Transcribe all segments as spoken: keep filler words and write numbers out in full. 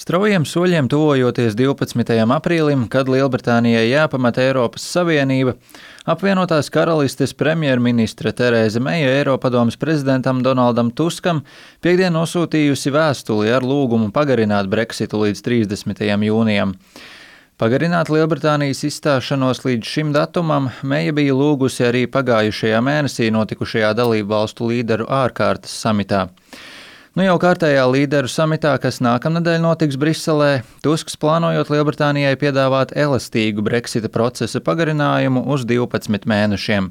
Straujiem soļiem tuvojoties divpadsmitajam aprīlim, kad Lielbritānijai jāpamet Eiropas Savienība, apvienotās karalistes premjerministre Terēza Meija Eiropadomes prezidentam Donaldam Tuskam piektdien nosūtījusi vēstuli ar lūgumu pagarināt Brexitu līdz trīsdesmitajam jūnijam. Pagarināt Lielbritānijas izstāšanos līdz šim datumam Meija bija lūgusi arī pagājušajā mēnesī notikušajā dalību valstu līderu ārkārtas samitā. Nu jau kārtējā līderu samitā, kas nākamnedēļ notiks Briselē, Tusks plānojot Lielbritānijai piedāvāt elastīgu Brexita procesa pagarinājumu uz divpadsmit mēnešiem.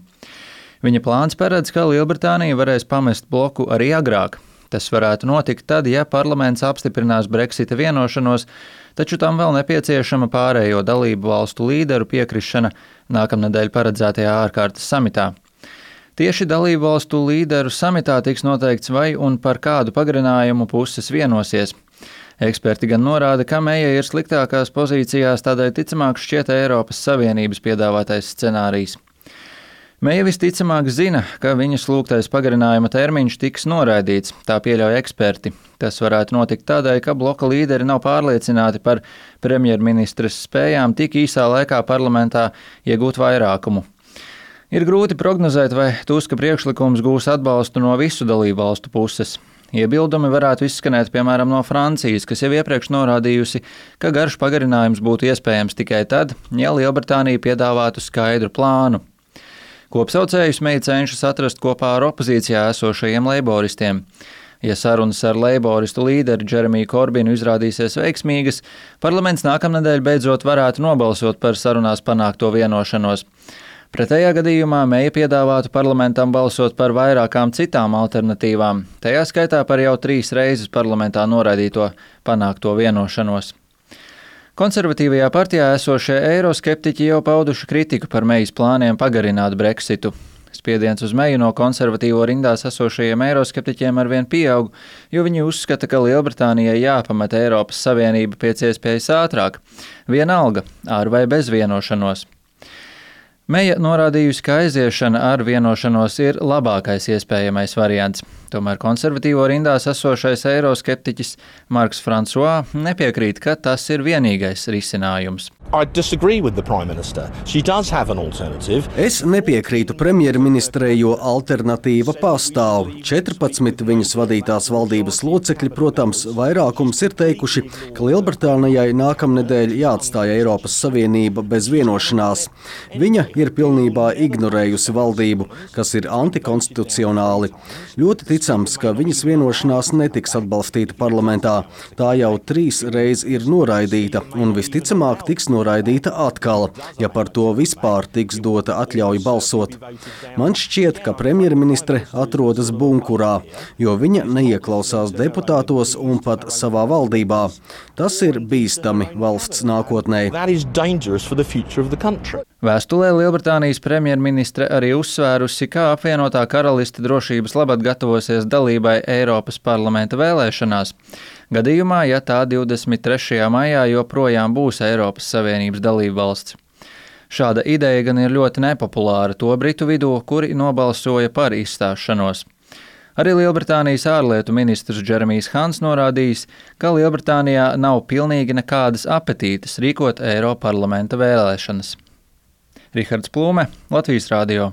Viņa plāns paredz, ka Lielbritānija varēs pamest bloku arī agrāk. Tas varētu notikt tad, ja parlaments apstiprinās Brexita vienošanos, taču tam vēl nepieciešama pārējo dalību valstu līderu piekrišana nākamnedēļ paredzētajā ārkārtas samitā. Tieši dalību valstu līderu samitā tiks noteikts, vai un par kādu pagarinājumu puses vienosies. Eksperti gan norāda, ka Meija ir sliktākās pozīcijās, tādēļ ticamāk šķiet Eiropas Savienības piedāvātais scenārijs. Meija visticamāk zina, ka viņas lūgtais pagarinājuma termiņš tiks noraidīts, tā pieļauj eksperti. Tas varētu notikt tādēļ, ka bloka līderi nav pārliecināti par premjerministres spējām tik īsā laikā parlamentā iegūt vairākumu. Ir grūti prognozēt, vai Tuska priekšlikums gūs atbalstu no visu dalību valstu puses. Iebildumi varētu izskanēt piemēram no Francijas, kas jau iepriekš norādījusi, ka garš pagarinājums būtu iespējams tikai tad, ja Lielbritānija piedāvātu skaidru plānu. Kopsaucējus Meija cenšas atrast kopā ar opozīcijā esošajiem leiboristiem. Ja sarunas ar leiboristu līderi Džeremiju Korbinu izrādīsies veiksmīgas, parlaments nākamnedēļ beidzot varētu nobalsot par sarunās panākto vienošanos. Pretējā gadījumā Meija piedāvātu parlamentam balsot par vairākām citām alternatīvām, tajā skaitā par jau trīs reizes parlamentā noraidīto panākto vienošanos. Konservatīvajā partijā esošie eiroskeptiķi jau pauduši kritiku par Meijas plāniem pagarināt Brexitu. Spiediens uz Meiju no konservatīvo rindās esošajiem eiroskeptiķiem arvien pieaug, jo viņi uzskata, ka Lielbritānijai jāpamet Eiropas Savienība pēc iespējas ātrāk, vienalga ar vai bez vienošanos. Meija norādījusi, ka aiziešana ar vienošanos ir labākais iespējamais variants. Tomēr konservatīvo rindās esošais eiroskeptiķis Marks Francois nepiekrīt, ka tas ir vienīgais risinājums. Es nepiekrītu premjerministrei, jo alternatīva pastāv. četrpadsmit viņas vadītās valdības locekļi, protams, vairākums ir teikuši, ka Lielbritānijai nākamnedēļ jāatstāja Eiropas Savienība bez vienošanās. Viņa ir pilnībā ignorējusi valdību, kas ir antikonstitucionāli. Ļoti ticams, ka viņas vienošanās netiks atbalstīta parlamentā. Tā jau trīs reiz ir noraidīta un visticamāk tiks noraidīta atkal, ja par to vispār tiks dota atļauja balsot. Man šķiet, ka premjerministre atrodas bunkurā, jo viņa neieklausās deputātos un pat savā valdībā. Tas ir bīstami valsts nākotnē. Vēstulē Lielbritānijas premjerministre arī uzsvērusi, ka apvienotā karaliste drošības labad gatavosies dalībai Eiropas parlamenta vēlēšanās, gadījumā, ja tā divdesmit trešajā maijā joprojām būs Eiropas Savienības dalībvalsts. Šāda ideja gan ir ļoti nepopulāra to britu vidū, kuri nobalsoja par izstāšanos. Arī Lielbritānijas ārlietu ministrs Džeremijs Hants norādījis, ka Lielbritānijā nav pilnīgi nekādas apetītes rīkot Eiroparlamenta vēlēšanas. Rihards Plūme, Latvijas radio.